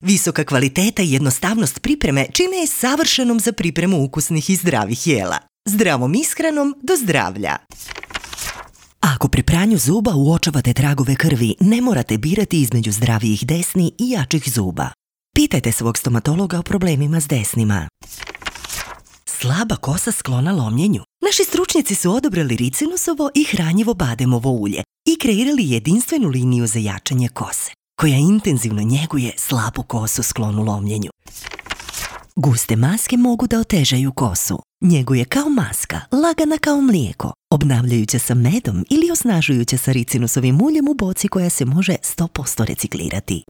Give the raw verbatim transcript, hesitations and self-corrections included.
Visoka kvaliteta i jednostavnost pripreme čine je savršenom za pripremu ukusnih i zdravih jela. Zdravom ishranom do zdravlja. Ako pri pranju zuba uočavate tragove krvi, ne morate birati između zdravijih desni i jačih zuba. Pitajte svog stomatologa o problemima s desnima. Slaba kosa sklona lomljenju. Naši stručnjaci su odabrali ricinusovo i hranjivo bademovo ulje i kreirali jedinstvenu liniju za jačanje kose, koja intenzivno njeguje slabu kosu sklonu lomljenju. Guste maske mogu da otežaju kosu. Njeguje kao maska, lagana kao mlijeko, obnavljajuća sa medom ili osnažujuća sa ricinusovim uljem u boci koja se može sto posto reciklirati.